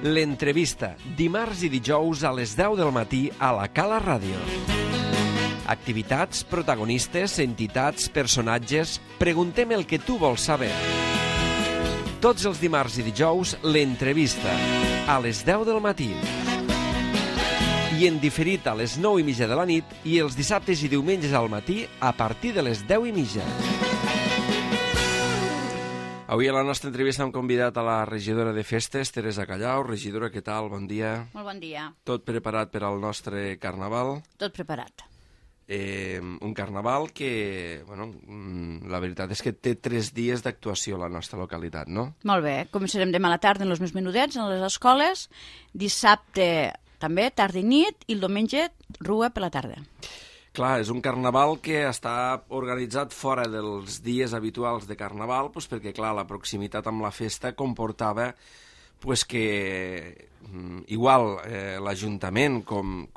L'entrevista, dimarts i dijous a les 10 del matí a la Cala Ràdio. Activitats, protagonistes, entitats, personatges... Preguntem el que tu vols saber. Tots els dimarts i dijous, l'entrevista, a les 10 del matí. I en diferit a les 9:30 de la nit i els dissabtes i diumenges al matí a partir de les 10:30. Avui a la nostra entrevista hem convidat a la regidora de Festes, Teresa Callau. Regidora, què tal? Bon dia. Molt bon dia. Tot preparat per al nostre carnaval? Tot preparat. Un carnaval que, bueno, la veritat és que té 3 dies d'actuació a la nostra localitat, no? Molt bé. Començarem demà a la tarda en els més menudets, en les escoles. Dissabte també, tarda i nit, i el diumenge, rua per la tarda. Clar, és un carnaval que està organitzat fora dels dies habituals de carnaval, doncs perquè, clar, la proximitat amb la festa comportava pues, que igual l'Ajuntament, com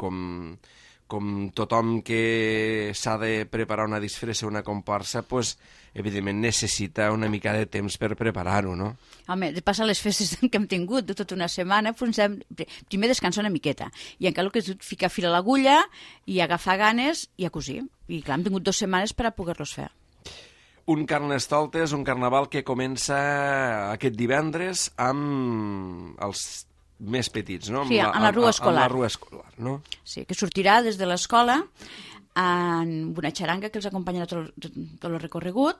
tothom que s'ha de preparar una disfressa, una comparsa, pues, evidentment necessita una mica de temps per preparar-ho, no? Home, de passar les festes que hem tingut de tota una setmana, primer descansar una miqueta, i encara el que és ficar fil a l'agulla i agafar ganes i a cosir. I clar, hem tingut 2 setmanes per a poder-los fer. Un Carnestoltes, un carnaval que comença aquest divendres amb els més petits, no? Sí, en la rua escolar. En la rua escolar, no? Sí, que sortirà des de l'escola amb una xaranga que els acompanyarà tot el recorregut,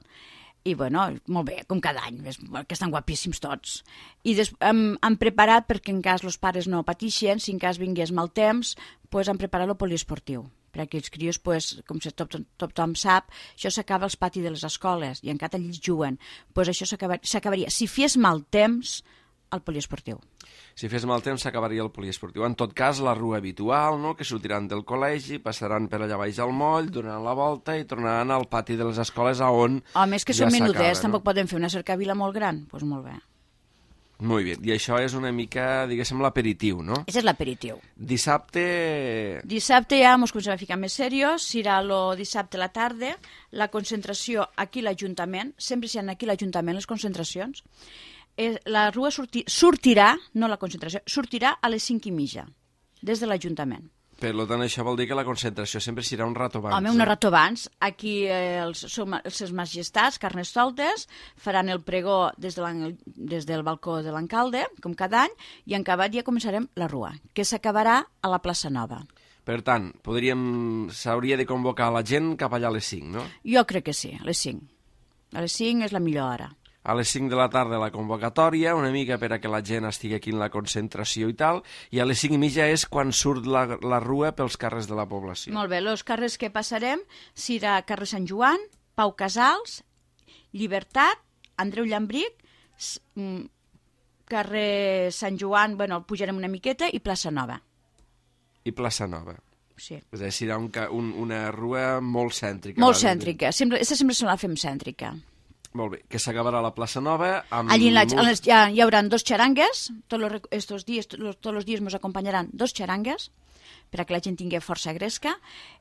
i bueno, molt bé, com cada any, que estan guapíssims tots. I han preparat, perquè en cas els pares no patixen, si en cas vingués mal temps, pues han preparat el poliesportiu. Per a aquells crios, pues, com tothom sap, això s'acaba als patis de les escoles, i encara allí juguen. Pues això s'acabaria, si fes mal temps, al poliesportiu. Si fes mal temps s'acabaria el poliesportiu. En tot cas, la rua habitual, no?, que sortiran del col·legi, passaran per allà baix al moll, donaran la volta i tornaran al pati de les escoles on home, és que són menudets, tampoc poden fer una cercavila molt gran. Doncs pues molt bé. Molt bé. I això és una mica, diguéssim, l'aperitiu, no? Això és l'aperitiu. Dissabte... Dissabte ja ens comencem a ficar més serios. Serà el dissabte a la tarda, la concentració aquí a l'Ajuntament. Sempre s'hi ha aquí a l'Ajuntament les concentracions. La rua sortirà, no la concentració, sortirà a les 5:30, des de l'Ajuntament. Per tant, això vol dir que la concentració sempre serà un rato abans. Home, un rato abans. Aquí els seus majestats, Carnestoltes, faran el pregó des del balcó de l'alcalde, com cada any, i en acabat ja començarem la rua, que s'acabarà a la plaça Nova. Per tant, s'hauria de convocar la gent cap allà a les 5, no? Jo crec que sí, a les 5. A les 5 és la millor hora. A les 5 de la tarda la convocatòria, una mica per a que la gent estigui aquí en la concentració i tal, i a les 5:30 és quan surt la rua pels carrers de la població. Molt bé, els carrers que passarem serà carrer Sant Joan, Pau Casals, Llibertat, Andreu Llambric, carrer Sant Joan, bueno, el pujarem una miqueta, i plaça Nova. I plaça Nova. Sí. És a dir, serà una rua molt cèntrica. Molt cèntrica, aquesta sempre se la fem cèntrica. Molt bé, que s'acabarà la plaça Nova amb... Allí hi haurà 2 xarangues, tots els dies ens acompanyaran 2 xarangues, per a que la gent tingui força gresca,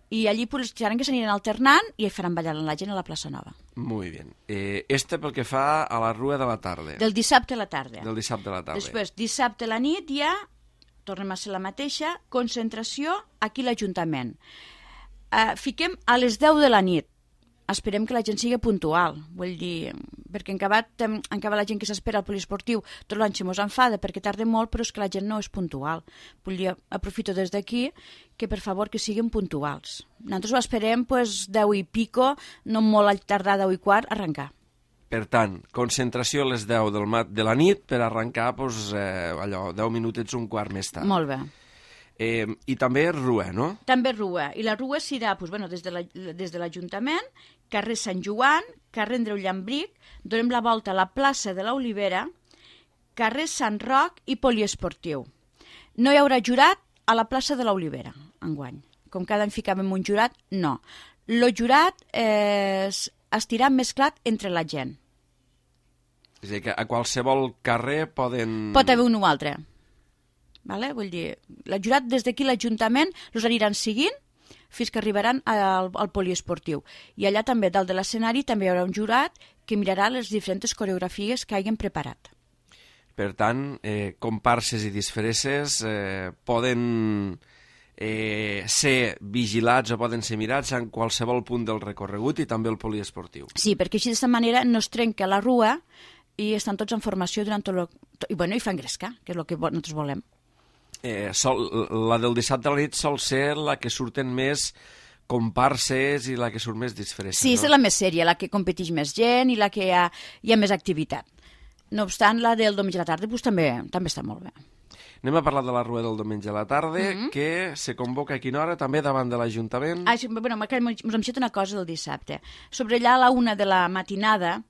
i allí les xarangues s'aniran alternant i faran ballar la gent a la plaça Nova. Molt bé. Pel que fa a la rua de la tarda. Del dissabte a la tarda. Del dissabte a la tarda. Després, dissabte a la nit ja, tornem a ser la mateixa, concentració aquí a l'Ajuntament. Fiquem a les 10 de la nit. Esperem que la gent sigui puntual, vull dir, perquè en acabat la gent que s'espera al poliesportiu tot l'any se mos enfada perquè tarda molt, però és que la gent no és puntual. Vull dir, aprofito des d'aquí que per favor que siguin puntuals. Nosaltres ho esperem 10 i pico, no molt tardar 10 i quart, arrencar. Per tant, concentració a les 10 de la nit per arrencar allò, 10 minutets, un quart més tard. Molt bé. I també rua, no? També rua. I la rua serà des de l'Ajuntament, carrer Sant Joan, carrer Andreu Llambric, donem la volta a la plaça de l'Olivera, carrer Sant Roc i poliesportiu. No hi haurà jurat a la plaça de l'Olivera, enguany. Com cada any ficàvem un jurat, no. El jurat estirà mesclat entre la gent. És a dir, que a qualsevol carrer poden... Pot haver un o altre. Vale? Vull dir, el jurat des d'aquí l'Ajuntament els aniran seguint fins que arribaran al poliesportiu. I allà també, dalt de l'escenari, també hi haurà un jurat que mirarà les diferents coreografies que hagin preparat. Per tant, comparses i disfresses poden ser vigilats o poden ser mirats en qualsevol punt del recorregut i també el poliesportiu. Sí, perquè així d'aquesta manera no es trenca la rua i estan tots en formació durant i fan gresca, que és el que nosaltres volem. La del dissabte a la nit sol ser la que surten més comparses i la que surt més disfressa. Sí, és la més sèria, la que competeix més gent i la que hi ha més activitat. No obstant, la del diumenge a la tarda doncs, també està molt bé. Anem a parlar de la rua del diumenge a la tarda, que se convoca a quina hora, també davant de l'Ajuntament. Sí, bueno, m'ha deixat una cosa del dissabte. Sobre allà a la 1 de la matinada,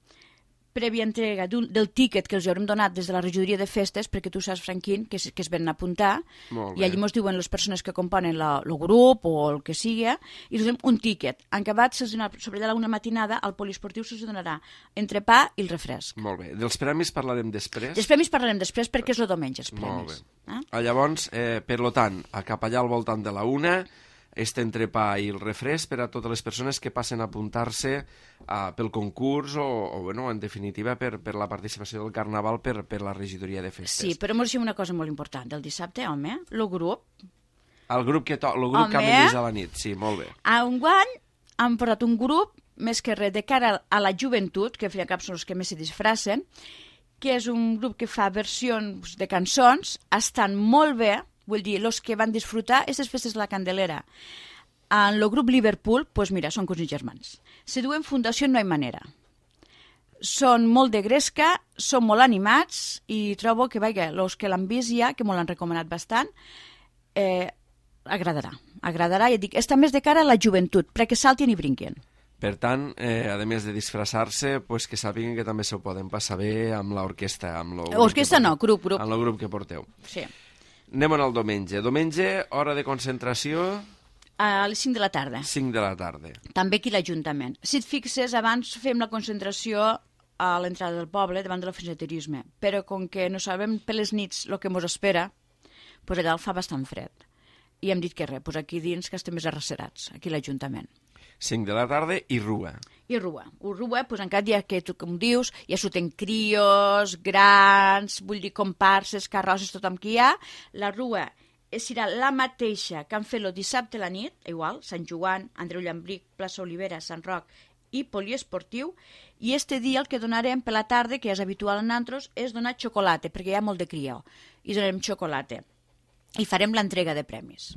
prèvia entrega del tíquet que els haurem donat des de la regidoria de festes, perquè tu saps, Franquín, que es venen a apuntar, i allí ens diuen les persones que componen el grup o el que sigui, i els donem un tíquet. En acabat, sobre allà a la 1 matinada, al poliesportiu se'ls donarà entrepà i el refresc. Molt bé. Dels premis parlarem després? Dels premis parlarem després perquè és el diumenge, els premis. Molt bé. Llavors, per tant, cap allà al voltant de la 1, este entrepà i el refresc per a totes les persones que passen a apuntar-se pel concurs o en definitiva, per la participació del Carnaval per la regidoria de festes. Sí, però ens deixem una cosa molt important. Del dissabte, home, el grup... El grup que caminés a la nit, sí, molt bé. Enguany han portat un grup, més que res, de cara a la joventut, que al fin i al cap són els que més se disfracen, que és un grup que fa versions de cançons, estan molt bé. Vull dir, els que van disfrutar aquestes festes de la Candelera en el grup Liverpool, doncs mira, són cosins germans. Se diuen Fundació No Hay Manera. Són molt de gresca, són molt animats i trobo que, els que l'han vist ja, que m'ho l'han recomanat bastant, agradarà. Agradarà, ja dic, està més de cara a la joventut, perquè saltin i brinquin. Per tant, a més de disfressar-se, pues que sàpiguen que també s'ho poden passar bé amb l'orquestra. Orquestra no, grup. Amb el grup que porteu. Sí. Anem al diumenge. Diumenge, hora de concentració... A les 5 de la tarda. 5 de la tarda. També aquí l'Ajuntament. Si et fixes, abans fem la concentració a l'entrada del poble, davant de l'oficina de turisme. Però com que no sabem per les nits el que ens espera, doncs allà el fa bastant fred. I hem dit que res, doncs aquí dins que estem més arrecerats, aquí a l'Ajuntament. 5 de la tarda i rua. I rua. Doncs encara ja que tu com dius, ja surten crios, grans, vull dir comparses, carrosses, tothom que hi ha. La rua serà la mateixa que han fet el dissabte a la nit, igual, Sant Joan, Andreu Llambric, plaça Olivera, Sant Roc i poliesportiu, i este dia el que donarem per la tarda, que ja és habitual en altres, és donar xocolata, perquè hi ha molt de crió, i donarem xocolata. I farem l'entrega de premis.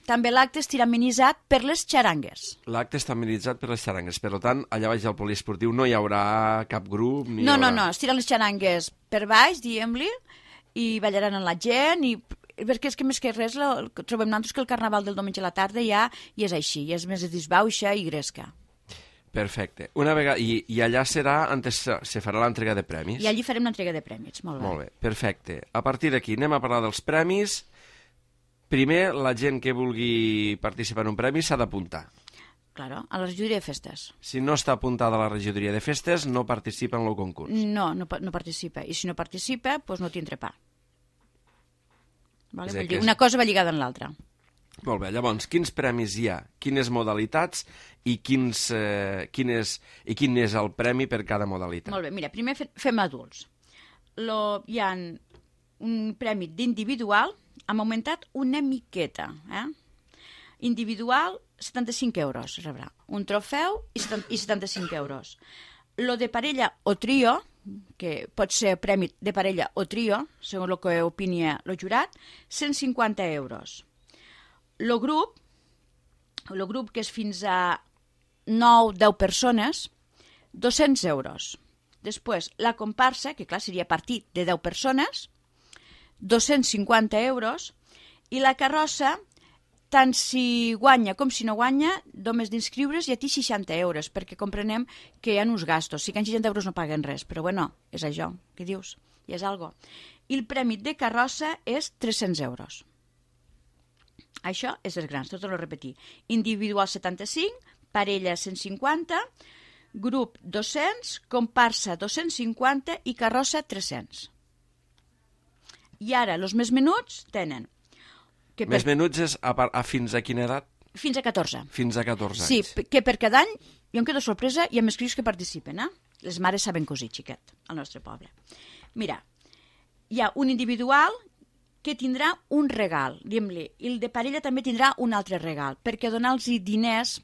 També l'acte estirà amenitzat per les xarangues. L'acte està amenitzat per les xarangues. Per tant, allà baix al poliesportiu no hi haurà cap grup? No, estiran les xarangues per baix, diguem-li, i ballaran amb la gent, perquè és que més que res trobem nosaltres que el Carnaval del diumenge a la tarda ja és així, ja és més disbauxa i gresca. Perfecte. Una vegada, i allà serà, antes se farà l'entrega de premis? I allí farem l'entrega de premis, molt bé. Molt bé, perfecte. A partir d'aquí anem a parlar dels premis. Primer, la gent que vulgui participar en un premi s'ha d'apuntar. Claro, a la regidoria de festes. Si no està apuntada a la regidoria de festes, no participa en el concurs. No participa. I si no participa, doncs no tindrà pa. Vale? Vull dir, una cosa va lligada amb l'altra. Molt bé, llavors, quins premis hi ha, quines modalitats i quin és el premi per cada modalitat? Molt bé, mira, primer fem adults. Hi ha un premi d'individual, hem augmentat una miqueta. Individual, 75 euros rebrà. Un trofeu i 75 euros. Lo de parella o trio, que pot ser premi de parella o trio, segons el que opini el jurat, 150 euros. El grup, que és fins a 9-10 persones, 200 euros. Després, la comparsa, que clar seria partit de 10 persones, 250 euros. I la carrossa, tant si guanya com si no guanya, només d'inscriure's i a ti 60 euros, perquè comprenem que hi ha uns gastos. Si que en 60 euros no paguen res, però bueno, és això, què dius? I és algo. I el premi de carrossa és 300 euros. Això és els grans, tot ho repetir. Individual 75, parella 150, grup 200, comparsa 250 i carrossa 300. I ara, els més menuts tenen... Més menuts és fins a quina edat? Fins a 14. Fins a 14 anys. Sí, que per cada any, jo em quedo sorpresa, hi ha més crios que participen, Les mares saben cosir, xiquet, al nostre poble. Mira, hi ha un individual que tindrà un regal, diguem-li, i el de parella també tindrà un altre regal, perquè donar-los diners,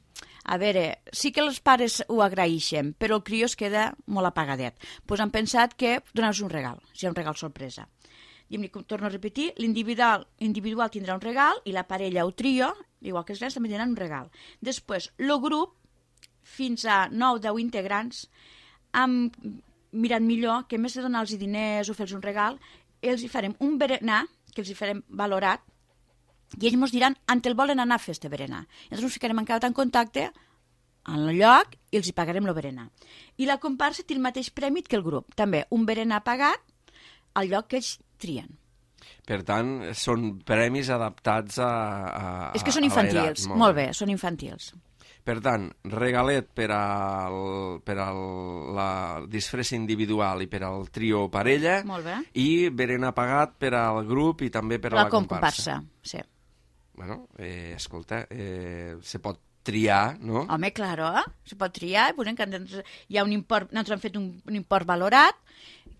a veure, sí que els pares ho agraeixen, però el crió es queda molt apagadet. Doncs han pensat que donar-los un regal, si hi ha un regal sorpresa. Diguem-li, torno a repetir, l'individual tindrà un regal i la parella o trio, igual que els nens, també tindran un regal. Després, el grup, fins a 9-10 integrants, han mirat millor que més de donar-los diners o fer-los un regal, els hi farem un berenar, que els hi farem valorat, i ells ens diran on el volen anar a fer este berenar. Llavors ens ficarem encara en contacte en el lloc i els hi pagarem el berenar. I la comparsa té el mateix premi que el grup. També un berenar pagat al lloc que ells trien. Per tant, són premis adaptats a És que són infantils, molt bé, són infantils. Per tant, regalet per a la disfressa individual i per al trio o parella, i berenar pagat per al grup i també per a la comparsa. Sí. Bueno, escolta, se pot triar, no? Home, claro, se pot triar. Hi ha un import, nosaltres hem fet un import valorat,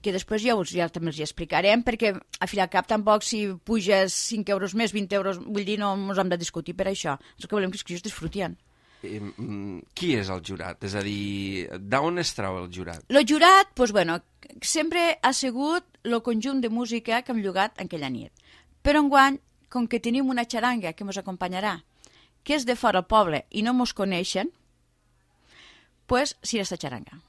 que després ja també els hi explicarem, perquè a fi al cap tampoc si puges 5 euros més, 20 euros, vull dir, no ens hem de discutir per això. El que volem que els crios disfrutien. Qui és el jurat? És a dir, d'on es trau el jurat? El jurat, doncs, bueno, sempre ha sigut el conjunt de música que hem llogat aquella nit. Però enguany, com que tenim una xaranga que ens acompanyarà, que és de fora al poble i no ens coneixen, doncs serà esta xaranga.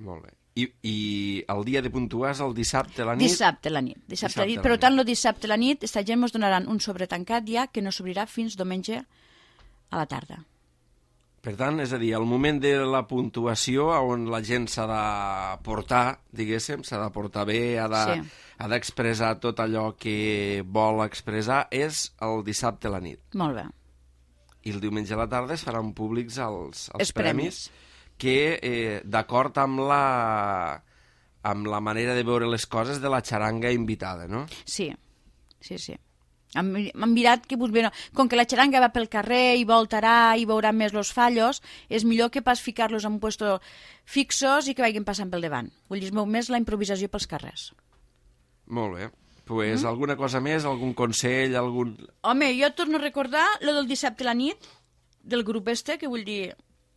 Molt bé. I el dia de puntuar és el dissabte a la nit? Dissabte a la nit. Per tant, el dissabte a la nit, esta gent ens donaran un sobretancat ja que no s'obrirà fins diumenge a la tarda. Per tant, és a dir, al moment de la puntuació, on la gent s'ha de portar, diguéssim, s'ha de portar bé, ha d'expressar tot allò que vol expressar, és el dissabte a la nit. Molt bé. I el diumenge a la tarda es faran públics els premis, que, d'acord amb la manera de veure les coses de la xaranga invitada, no? Sí. Hem mirat que, com que la xaranga va pel carrer i voltarà i veurà més els fallos, és millor que pas ficar-los en un puesto fixos i que vagin passant pel davant. Vull dir, es veu més la improvisació pels carrers. Molt bé. Pues alguna cosa més, algun consell, algun... Home, jo torno a recordar lo del dissabte a la nit, del grup que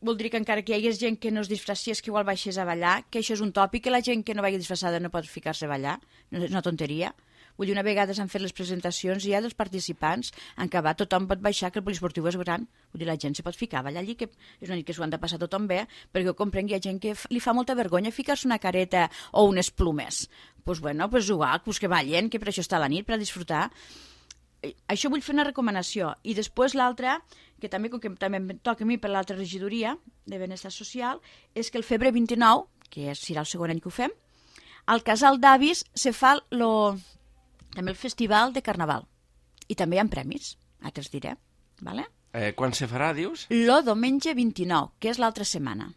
voldria que encara que hi hagués gent que no es disfressies, que igual baixés a ballar, que això és un tòpic, que la gent que no vagi disfressada no pot ficar-se a ballar, és una tonteria. Vull dir, una vegada s'han fet les presentacions ja dels participants, en acabat tothom pot baixar, que el poliesportiu és gran. Vull dir, la gent se pot ficar a ballar allí, que és una nit que s'ho han de passar tothom bé, perquè jo comprenc que hi ha gent que li fa molta vergonya ficar-se una careta o unes plumes. Doncs bueno, igual, que ballen, que per això està la nit, per a disfrutar. Això vull fer una recomanació. I després l'altra, que també, com que també em toca a mi per l'altra regidoria de Benestar Social, és que el Febre 29, que serà el segon any que ho fem, al Casal d'Avis se fa també el festival de Carnaval. I també hi ha premis, ara te'ls diré. Vale? Quan se farà, dius? Lo diumenge 29, que és l'altra setmana.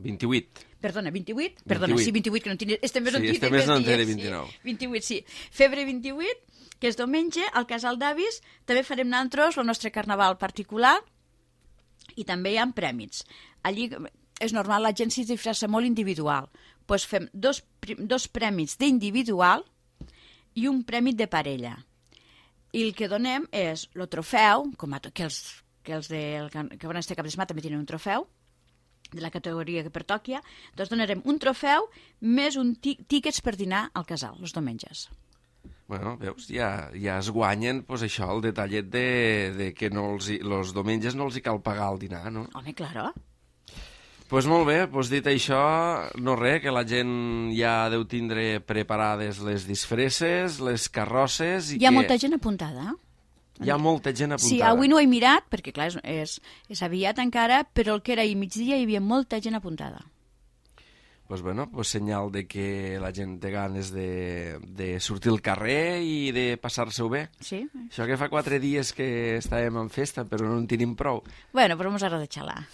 28. Perdona, 28? Perdona, sí, 28, que no tinc... Este mes no tinc... Sí, este mes no en té de 29. Sí, 28, sí. Febre 28, que és diumenge, al Casal d'Avis, també farem nosaltres el nostre carnaval particular i també hi ha premis. Allí és normal, la gent s'hi disfressa molt individual. Doncs fem dos premis d'individual i un premi de parella. I el que donem és el trofeu, que els que van estar cap de setmana també tenen un trofeu, de la categoria que pertoquia, doncs donarem un trofeu més un tíquets per dinar al casal, els diumenges. Bueno, veus, ja es guanyen pues, això, el detallet de que els diumenges no els hi cal pagar el dinar, no? Home, claro. Pues molt bé, pues dit això, no res, que la gent ja deu tindre preparades les disfresses, les carrosses... Hi ha molta gent apuntada, Hi ha molta gent apuntada. Sí, avui no ho he mirat, perquè clar, és aviat encara, però el que era ahir migdia hi havia molta gent apuntada. Pues bueno, pues senyal de que la gent té ganes de sortir al carrer i de passar-se-ho bé. Sí. Això que fa 4 dies que estàvem en festa, però no en tenim prou. Bueno, però ens agrada xalar.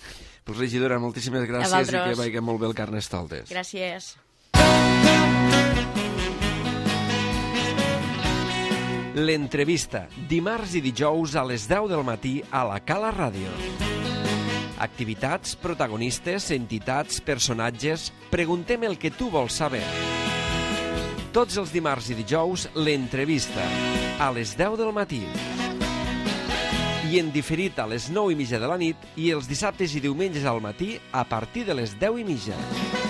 Pues regidora, moltíssimes gràcies i que vagi molt bé el Carnestoltes. Gràcies. L'entrevista, dimarts i dijous a les 10 del matí a la Cala Ràdio. Activitats, protagonistes, entitats, personatges... Preguntem el que tu vols saber. Tots els dimarts i dijous, l'entrevista, a les 10 del matí. I en diferit a les 9:30 de la nit i els dissabtes i diumenges al matí a partir de les 10:30.